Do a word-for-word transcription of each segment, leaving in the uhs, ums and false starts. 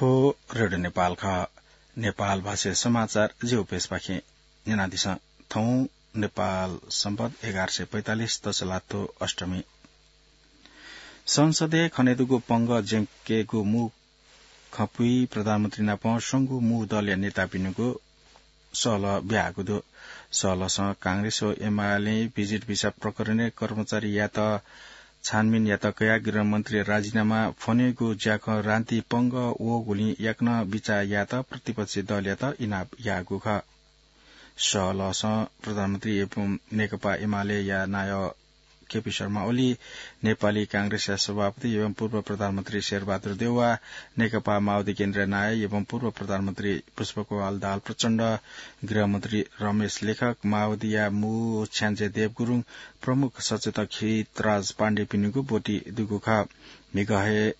थ्व रेडियो नेपाल खः। नेपाल भाषा समाचार जिगु पेजपाखें न्यनादिसँ। थौं नेपाल सम्बत एघार सय पैंतालिस तसलाथ्व अष्टमी। संसदय् खनेदुगु पंगः ज्यंकेगु मू खँपुइ प्रधानमन्त्री नाप स्वंगू मू दलया नेतापिनिगु सहलह ब्याहाःगु दु। सहलहसं कांग्रेस व एमालें भिजिट भिसा प्रकरणय् कर्मचारीयात छानबिन यात कयाः गृहमन्त्री राजीनामा फ्वनेगु ज्याखँ रान्ति पंगः वःगुलिं याकनं बिचाः यायेत प्रतिपक्षी दलयात इनाप याःगु खः। सहलहसं प्रधानमन्त्री एवं नेकपा एमालेया नायः केपी शर्मा ओली, नेपाली कांग्रेसया सभापति एवं पूर्व प्रधानमन्त्री शेरबहादुर देउवा, नेकपा माओवादी केन्द्रया नायः एवं पूर्व प्रधानमन्त्री पुष्पकमल दाहाल प्रचण्ड, गृहमन्त्री रमेश लेखक, माओवादीया मू छ्याञ्जे देव गुरुङ, प्रमुख सचेतक हितराज पाण्डेपिनिगु ब्वति दुगु खः। म्हिगः हे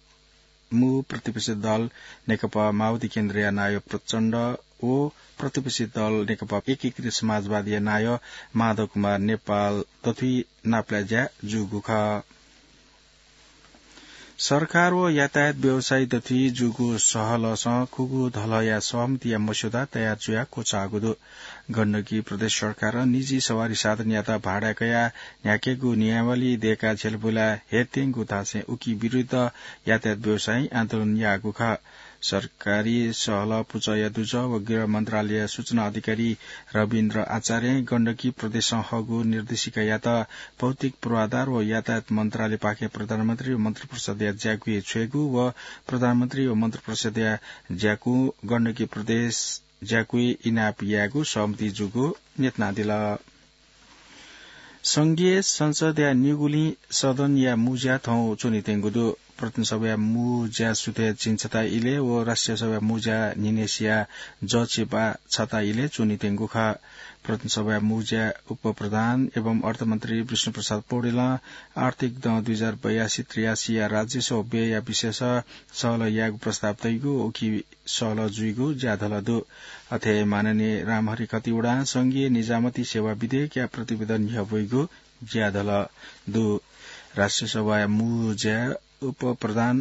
मू प्रतिपक्षी दल नेकपा माओवादी केन्द्रया नायः प्रचण्ड व प्रतिपक्षी दल नेकपा एकीकृत समाजवादीया नायः माधव कुमार नेपाल दथुइ नापलाये ज्या जूगु खः। सरकार व यातायात व्यवसायी दथुइ जूगु सहलहसं खुगू धलहया सहमतिया मस्यौदा तयार जुयाः क्वचाःगु दु। गण्डकी प्रदेश सरकारं निजी सवारी साधनयात भाडाय् कयाः न्ह्याकेगु नियमावली दय्काः झ्यलपुला हेत्यंगु धासें उकी विरुद्ध यातायात व्यवसायीं आन्दोलन याःगु खः। सरकारी सहलह पुचःया दुजः व गृह मन्त्रालय सूचना अधिकारी रविन्द्र आचार्यं गण्डकी प्रदेशं हःगु निर्देशिकायात भौतिक पूर्वाधार व यातायात मन्त्रालयपाखें प्रधानमन्त्री व मन्त्रिपरिषदया ज्याकुइ छ्वयेगु व प्रधानमन्त्री व मन्त्रिपरिषदया ज्याकुं गण्डकी प्रदेश ज्याकुइ इनाप यायेगु सहमति जूगु न्यनादिल। संघीय संसदया निगुलिं सदनया मू ज्या थौं च्वनीत्यंगु दु। प्रतिनिधि सभाया मू ज्या सुथय् झिंछता इलय् व राष्ट्रिय सभाया मू ज्या न्हिनय्सिया जःछि बाः छता इलय् च्वनीत्यंगु खः। प्रतिनिधि सभाया मू ज्या उपप्रधान एवं अर्थमन्त्री विष्णुप्रसाद पौडेलं आर्थिक दँ दुई हजार बयासी त्रियासीया राजस्व व्ययया विषयस सहलह यायेगु प्रस्ताव तइगु उकी सहलह जुइगु ज्याधल दु। अथे माननीय रामहरि खतिवडां संघीय निजामती सेवा विधेयकया प्रतिवेदन न्ह्यब्वइगु ज्याधल दु। राष्ट्रिय सभाया मू ज्या उपप्रधान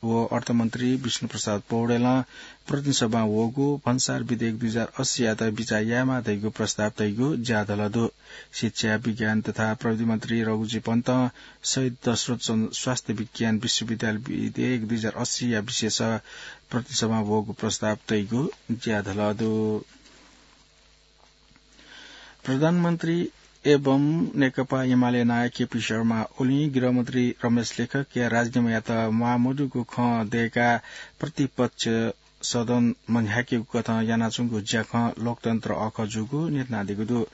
व अर्थमन्त्री विष्णुप्रसाद पौडेलं प्रतिनिधि सभां वःगु भन्सार विधेयक दुई हजार अस्सीयात बिचाः यायेमाः धइगु प्रस्ताव तइगु ज्याधल दु। शिक्षा, विज्ञान तथा प्रविधि मन्त्री रघुजी पन्तं शहीद दशरथ चन्द स्वास्थ्य विज्ञान विश्वविद्यालय विधेयक दुई हजार अस्सीया विषयस प्रतिनिधि सभां वःगु प्रस्ताव तइगु ज्याधल दु। प्रधानमन्त्री एवं नेकपा एमाले नायः केपी शर्मा ओलीं गृहमन्त्री रमेश लेखकया राजीनामायात म्वाः मदुगु खँ दय्काः प्रतिपक्ष सदन मन्ह्याकेगु कथं यानाच्वंगु ज्याखँ लोकतन्त्र अःखः जूगु न्यनादीगु दु।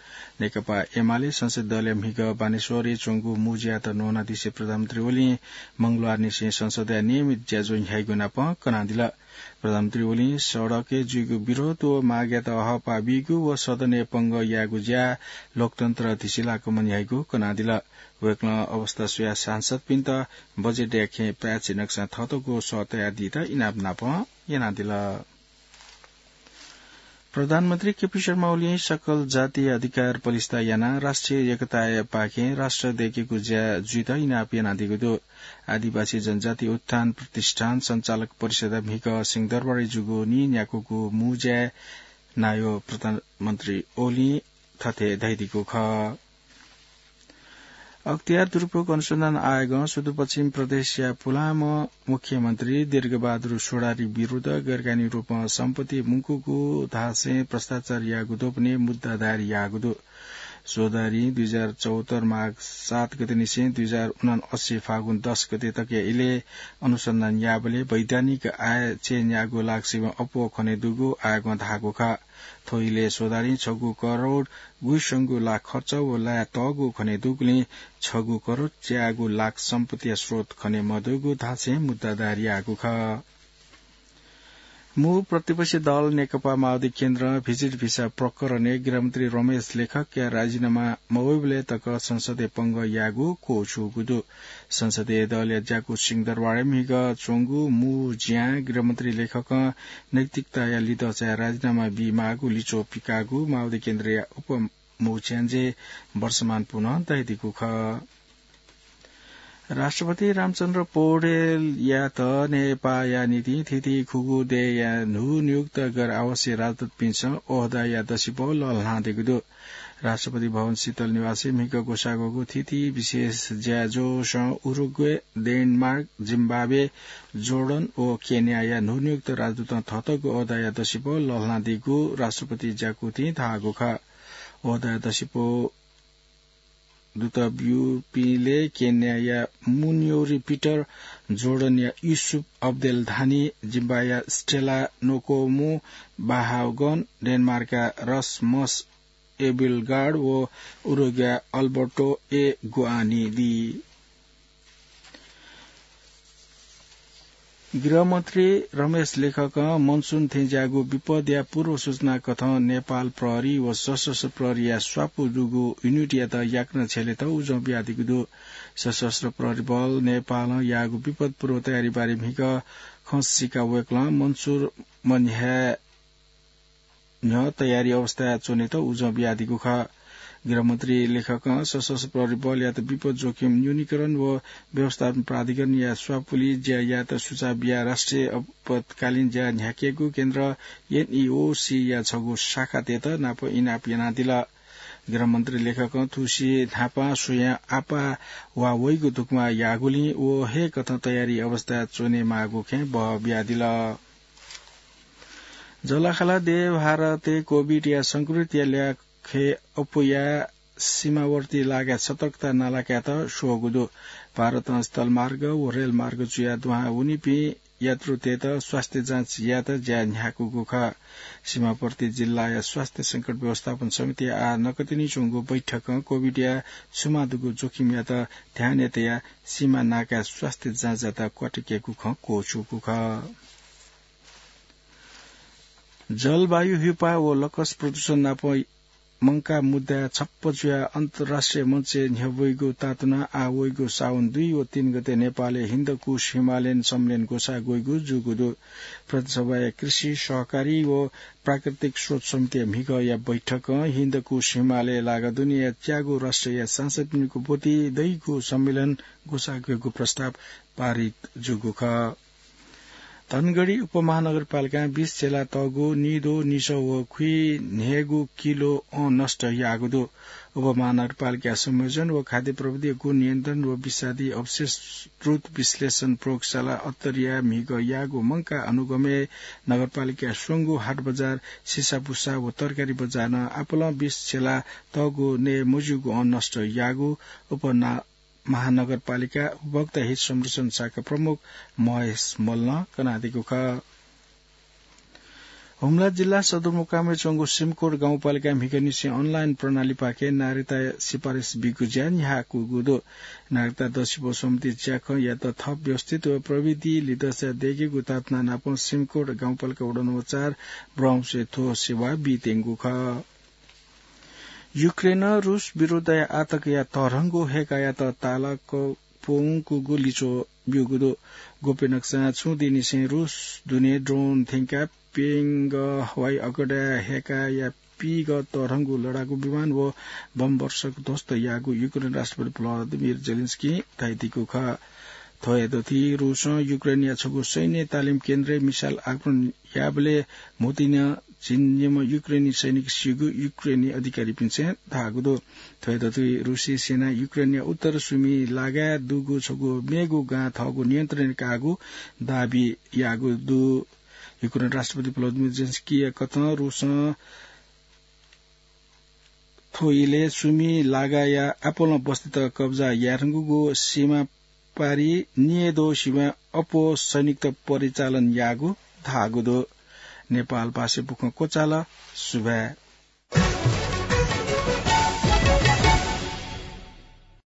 नेकपा एमाले संसदीय दलया म्हिगः बानेश्वरय् च्वंगु मू ज्यायात न्ह्यानादिसें प्रधानमन्त्री ओलीं मंगलबारनिसें संसदया नियमित ज्याझ्वः न्ह्याइगु नाप कनादिल। प्रधानमन्त्री ओलीं सडकय् जुइगु विरोध व मागयात हःपाः बीगु व सदनय् पंगः यायेगु ज्या लोकतन्त्र धिसिलाक मन्ह्याइगु कनादिल। वय्कलं अवस्था स्वयाः सांसदपिन्त बजेटया खँय् पाय्छि नकसां थःतःगु सः तयादीत इनाप नाप यानादिल। प्रधानमन्त्री केपी शर्मा ओलीं सकल जातीय अधिकार पलिस्था यानाः राष्ट्रिय एकतायापाखें राष्ट्र दय्केगु ज्या जुइत इनाप यानादीगु दु। आदिवासी जनजाति उत्थान प्रतिष्ठान सञ्चालक परिषदया म्हिगः सिंहदरबारय् जूगु नीन्याक्वःगु मू ज्याय् नायः प्रधानमन्त्री ओलीं थथे धयादीगु खः। अख्तियार दुरुपयोग अनुसन्धान आयोगं सुदूरपश्चिम प्रदेशया पुलांम्ह मुख्यमन्त्री दीर्घबहादुर चौधरी विरुद्ध गैरकानूनी रूपं सम्पत्ति मुंकूगु धासें भ्रष्टाचार याःगु द्वपनय् मुद्दा दायर याःगु दु। चौधरीं दुई हजार चौहत्तर माघ सात गतेनिसें दुई हजार उनान्सय फागुन दस गते तकया इलय् अनुसन्धान याःबलय् वैधानिक आय चय्न्याःगु लाक्सिबं अप्वः खनेदुगु आयोगं धाःगु खः। थ्व इलय् चौधरीं छगू करोड गुइस्वंगू लाख खर्च व लाये तःगु खनेदुगुलिं छगू करोड च्यागू लाख सम्पत्तिया स्रोत खने मदुगु धासें मुद्दा दायर याःगु खः। मू प्रतिपक्षी दल नेकपा माओवादी केन्द्रं भिजिट भिसा प्रकरणय् गृहमन्त्री रमेश लेखकया राजीनामा मवइबलय् तक संसदय् पंगः यायेगु क्वछुगु दु। संसदीय दलया ज्याकू सिंहदरबारय् म्हिगः च्वंगु मू ज्यां गृहमन्त्री लेखकं नैतिकताया लिधः चाय् राजीनामा बीमाःगु लिच्वः पिकाःगु माओवादी केन्द्रया उप मू छ्याञ्जे वर्षमान पुनं धयादीगु खः। राष्ट्रपति रामचन्द्र पौडेलयात नेपाःया निंतिं थीथी खुगू देय्‌या न्हूनियुक्त गैर आवासीय राजदूतपिन्सं ओहदाया दसिपौ लःल्हानादीगु दु। राष्ट्रपति भवन शीतल निवासय् म्हिगः ग्वसाः ग्वःगु थीथी विशेष ज्याझ्वलय् उरुग्वे, डेनमार्क, जिम्बाब्वे, जोर्डन व केन्याया न्हूनियुक्त राजदूतं थःथःगु ओहदाया दसिपौ लःल्हानादीगु राष्ट्रपति ज्याकुथिं धाःगु खः। ओहदाया दसिपौ दुत ब्यूपिंलय् केन्याया मुन्योरी पिटर, जोर्डनया युसुफ अब्देल धानी, जिम्बाब्वेया स्टेला नोकोमु बाहागन, डेनमार्कया रसमस एबिलगार्ड व उरुग्वेया अल्बर्टो ए गुआनी दी। गृहमन्त्री रमेश लेखकं मनसुन थेंज्याःगु विपदया पूर्व सूचना कथं नेपाल प्रहरी व सशस्त्र प्रहरीया स्वापू दुगु युनिटयात याकनं छ्यलेत उजं बियादीगु दु। सशस्त्र प्रहरी बल नेपालं याःगु विपद पूर्व तयारी बारे म्हिगः खँ सीकाः वय्‌कलं मनसुन मन्ह्याये न्ह्यः तयारी अवस्थाय् च्वनेत उजं बियादीगु खः। गृहमन्त्री लेखकं सशस्त्र प्रहरी बलयात विपद जोखिम न्यूनीकरण व व्यवस्थापन प्राधिकरणया स्वापुलि ज्या यायेत सुझाव बियाः राष्ट्रिय आपतकालीन ज्या न्ह्याकेगु केन्द्र, एनईओसीया छगू शाखातय्‌त नाप इनाप यानादिल। गृहमन्त्री लेखकं थुसी न्हापां स्वयां आपाः वा वइगु धुकुमा याःगुलिं व हे कथं तयारी अवस्थाय् च्वनेमाःगु खँय् बह बियादिल। जःलाखःला देय् भारतय् कोभिडया संक्रमितया ल्याखय् अप्वयाः सीमावर्ती लागाय् सतर्कता नालाकायेत स्वःगु दु। भारतं स्थलमार्ग व रेलमार्ग जुयाः दुहां वनीपिं यात्रुतय्‌त स्वास्थ्य जाँच यायेत ज्या न्ह्याकूगु खः। सीमावर्ती जिल्लाया स्वास्थ्य संकट व्यवस्थापन समितिया आः नकतिनि च्वंगु बैठकं कोभिडया सुमा दुगु जोखिमयात ध्यानय् तयाः सीमा नाकाय् स्वास्थ्य जाँचयात क्वातुकेगु खँ क्वःछूगु खः। जलवायु ह्युपाः व लकस प्रदूषण नाप मंकाः मुद्दाय् छप्प जुयाः अन्तर्राष्ट्रिय मञ्चय् न्ह्यब्वइगु तातुनाः आः वइगु साउन दुई व तीन गते नेपालय् हिन्दकुश हिमालयन सम्मेलन ग्वसाः ग्वइगु जूगु दु। प्रतिनिधि सभाया कृषि, सहकारी व प्राकृतिक स्रोत समितिया म्हिगःया बैठकं हिन्दकुश हिमालय लागा दुनेया च्यागू राष्ट्रया सांसदपिनिगु ब्वति दइगु सम्मेलन ग्वसाः ग्वयेगु प्रस्ताव पारित जूगु खः। धनगढी उपमहानगरपालिकां बीस झेला तःगु निदँ, निसः व खुइन्हय्‌गू किलो अँ नष्ट याःगु दु। उपमहानगरपालिका संयोजन व खाद्य प्रविधि गुण नियन्त्रण व विषादी अवशेष द्रुत विश्लेषण प्रयोगशाला अत्तरिया म्हिगः याःगु मंकाः अनुगमय् नगरपालिकाया स्वंगू हाट बजार, सिसापुसा व तरकारी बजारं आपालं बीस झेला तःगु नये मज्यूगु अँ नष्ट याःगु उपना-, महानगरपालिका उपभोक्ता हित संरक्षण शाखा प्रमुख महेश मल्लं कनादीगु खः। हुम्ला जिल्ला सदरमुकामय् च्वंगु सिमकोट गाउँपालिकां म्हिगःनिसें अनलाइन प्रणालीपाखें नागरिकता सिफारिस बीगु ज्या न्ह्याकूगु दु। नागरिकता दसिपौ सम्बन्धी ज्याखँयात थप व्यवस्थित व प्रविधि लिधंसा दयेकेगु तातुनाः नापं सिमकोट गाउँपालिका वडा नम्बर चार ब्रह्मसे थ्व सेवा बीत्यंगु खः। युक्रेनं रुस विरुद्धया आतंकया तःधंगु हेकायात तालाक प्वंकूगु लिच्वः ब्यूगु दु। गुप्य नक्सां छुं दिंनिसें रुस दुने ड्रोन थ्यंकाः प्यंगः हवाई अड्डाय् हेकाया पीगः तःधंगु लडाकू विमान व बम वर्षक ध्वस्त याःगु युक्रेन राष्ट्रपति भ्लादिमिर जेलेन्स्कीं धयादीगु खः। थ्व हे दथुइ रुसं युक्रेनया छगू सैन्य तालिम केन्द्रय् मिसाइल आक्रमण याःबलय् म्हुतुइ नं झिंनिम्ह युक्रेनी सैनिक सीगु युक्रेनी अधिकारीपिन्सं धाःगु दु। थ्व हे दथुइ रुसी सेनां युक्रेनया उत्तर सुमि लागाय् दुगु छगू मेगु गां थःगु नियन्त्रणय् काःगु दाबी याःगु दु। युक्रेन राष्ट्रपति भ्लादिमिर जेलेन्स्कीया कथं रुसं थ्व इलय् सुमि लागाया आपालं बस्तीत कब्जा यायेधुंकूगु सीमा पारि नियेदो सीमाय् अप्वः सैनिकत परिचालन याःगु धाःगु दु। नेपाल भाषाय् बुखँ क्वचाल। सुभाय्।